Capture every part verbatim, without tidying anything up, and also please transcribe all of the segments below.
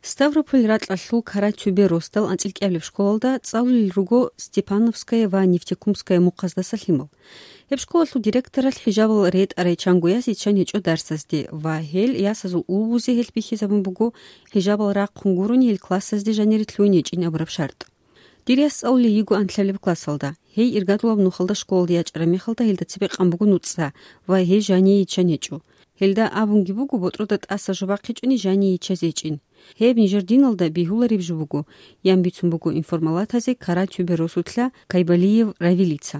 Ставрополь ракьалъул Карачубе росдал анцӀил кӀиабилеб школалда цӀалулел руго Степановская ва Нефтекумская мухъаздаса лъимал. Гьеб школалъул директоралъ хӀижабал ретӀарай чанго яс иччан гьечӀо дарсазде ва гьел ясазул улбузе гьелъ бихьизабун буго хӀижабал рахъун гурони гьел классазде жанире лъугьин гьечӀин абураб шартӀ. Дир яс цӀалулей йиго анлъабилеб классалда. Гьей иргадулаб нухалда школалде ячӀараб мехалда гьелда цебе къан буго нуцӀа ва гьей жание йиччан гьечӀо. Гьелда абунги буго, ботӀрода тӀаса жо бахъичӀони жание йиччазе гьечӀин. Гьеб нижер диналда бегьулареб жо буго, ян бицун буго информалатазе Карачубе росулъа Кайбалиев Равилица.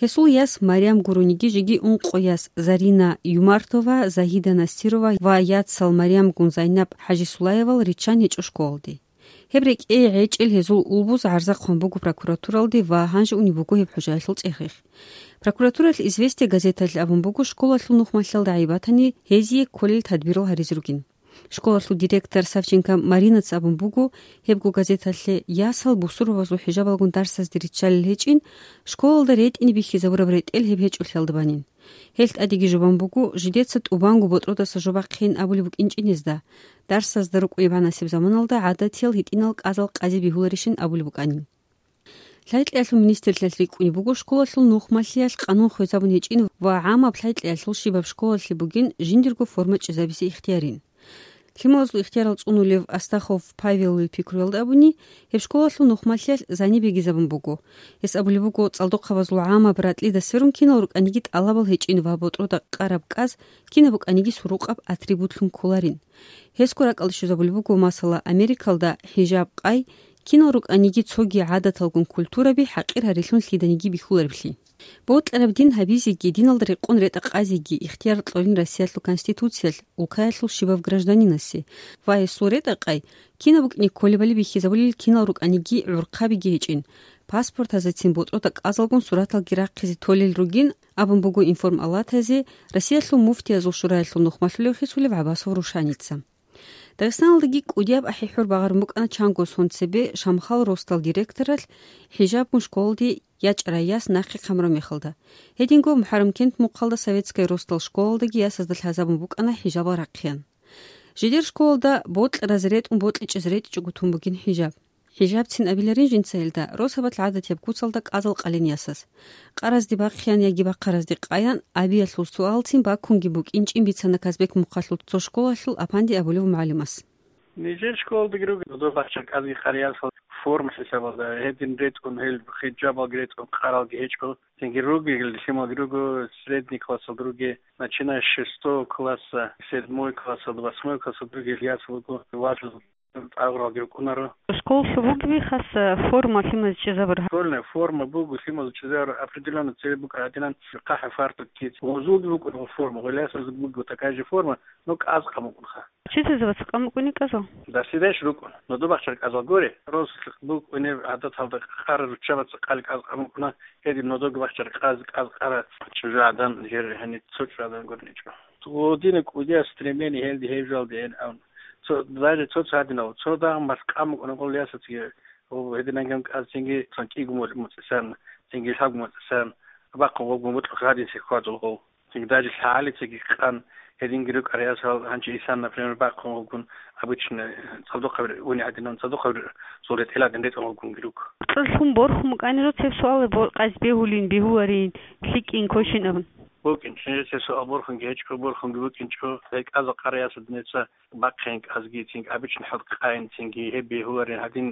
Гьесул яс Марям гурониги жеги ункъо яс Зарина Юмартова, Загьида Настирова ва яцал Марямгун Зайнаб ХӀажисулаевал риччан гьечӀо школалде. Гьеб рекӀее гьечӀел гьезул улбуз гӀарза хъван буго прокуратуралде ва гьанже унеб буго гьеб хӀужаялъул цӀехихъ. Прокуратуралъ «Известия» газеталъ абун буго, школалъул нухмалъиялда гӀайиб батани, гьезие кколел тадбирал гьаризе ругин. Школалъул директор Савченко Маринаца абун буго, гьебго газеталъе ясал бусурбабазул хӀижабалгун дарсазде риччалел гьечӀин, школалда ретӀине бихьизабураб ретӀел гьеб гьечӀолъиялда банин. Гьелъ тӀадеги жубан буго, жидеца тӀубанго ботӀродаса жо бахъин абулеб букӀинчӀин гьезда, дарсазда рукӀунеб гьанасеб заманалда гӀадатиял гьитӀинал кӀазал къазе бегьуларищин абулеб букӀанин. Лъайкьиялъул министрлъиялъ рикӀкӀунеб буго школалъул нухмалъиялъ къанун хвезабун гьечӀин ва гӀамаб лъайкьиялъул щибаб школалъе бугин жиндирго форма чӀезабизе ихтиярин. Лъималазул ихтиярал цӀунулев Астахов Павелил пикруялда абуни, гьеб школалъул нухмалъиялъ зани бегизабун буго. Гьес абулеб буго, цӀалдохъабазул гӀамаб ратӀлидас сверун кинал рукӀаниги тӀалабал гьечӀин ва ботӀрода къараб кӀаз кинаб букӀаниги сурукъаб атрибутлъун кколарин. Гьесго ракӀалде щвезабулеб буго, масала, Америкалда хӀижаб къай кинал рукӀаниги цоги гӀадаталгун культураби хӀакъир гьарилъун лъиданиги бихьулареблъи. Бокьараб дин гьабизеги, диналда рекъон ретӀа къазеги ихтияр кьолин Россиялъул Конституциялъ улкаялъул щибаб гражданинасе ва гьесул ретӀа къай кинаб букӀине кколебали бихьизабулел кинал рукӀаниги гӀурхъабиги гьечӀин, паспортазецин ботӀрода кӀазалгун сураталги рахъизе толел ругин абун буго информалатазе Россиялъул муфтиязул шураялъул нухмалъулев хисулев ГӀаббасов Рушаница. Дагъистаналдаги кӀудияб ахӀи-хӀур багъарун букӀана чанго сон цебе Шамхал росдал директоралъ хӀижабгун школалде ячӀарай яс нахъе хъамураб мехалда. Гьединго МухӀаррамкент мухъалда Советская росдал школалдаги ясазда лъазабун букӀана хӀижабал рахъеян. Жидер школалда бокьаразе ретӀун бокьичӀезе ретӀичӀого тун бугин хӀижаб. ХӀижабцин абиларин жинца гьелда, росабалъ гӀадатияб куцалда кӀазал къалин ясаз. Къаразде бахъеян яги бахъаразде къаян абиялъул суалцин бакунги букӀинчӀин бицана Казбек мухъалъул цо школалъул Апанди абулев мугӀалимас. Нижер школалдаги ругел, доб бахчаркьазги къариясал форма хӀисабалда, гьедин ретӀун гьел хӀижабалги ретӀун къаралги гьечӀо. Цинги ругел лъималги руго, средний классалда ругел, начиная с шестого класса, седьмой классалда, восьмой классалда ругел ясал руго, важил тӀагъуралги рукӀунаро. Школалъул бугеби хаса форма лъимазе чӀезабураб? Школьная форма буго лъимазе чӀезабураб, определённо цебе букӀа гьадинан, хъахӀа фартук киц. Гъозулги букӀун форма, гъолъясазги буго такая же форма, но кӀаз къамукъунха. Учительзабаца къамукъуни кӀазал? Дарсидаеш рукӀун, но доб бахчаркьазал горе, рос букӀунеб гӀадаталда къара руччабаца къали кӀаз къамукъуна, гьедин нодоги бахчаркьаз кӀаз къара чӀужугӀадан, жер гьаниб цо чӀужугӀадан гурничӀо. Гъодина кӀудияс стремление гьелде гьеб жалде гьен абун. Цо, даже цо цадинав, цо дагъ малъ къамукъуна гъолъясацги, гьединангам кӀаз цинги цан кӀиго муцӀисан, цинги лъабго муцӀисан, бахъун гъобгун бутӀа гьадин сихьвадул гъов. Цинги даже лъагӀалицаги къан гьединги рукӀараясал гьанчи исан, например, бахъун гъобгун обычно цадухъабир уни гьадинан, цадухъабир цо ретӀеладин ретӀун гъобгунги руго. Кьолъун борхун букӀанила цеб суал бо-, къаз бегьулин, бегьуларин, лъикӀин, квешин абун. БукӀин, чӀинчӀел цеб суал борхунги гьечӀо, борхунги букӀинчӀо, гьекъаза къараясал диница бахъин кӀазги, цинги обычно хӀал къайин, цинги гьеб бегьуларин гьадин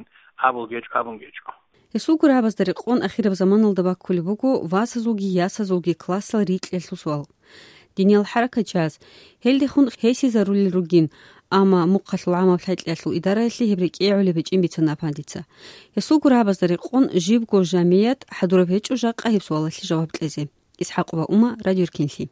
абулги гьечӀо, абунги гьечӀо. Гьесул гурабазда рекъон ахираб заманалда баккулеб буго васазулги ясазулги классал рикьиялъул суал. Диниял хӀаракатчияс гьелдехун хӀесизарулел ругин, амма мухъалъул гӀамаб лъайкьиялъул идараялъе гьеб рекӀее гӀолеб гьечӀин бицана Апандица. Гьесул гурабазда рекъон жибго жамият хӀадураб гьечӀо жакъа гьеб суалалъе жаваб кьезе. ИсхӀакъова Ума, Радио Эркенлъи.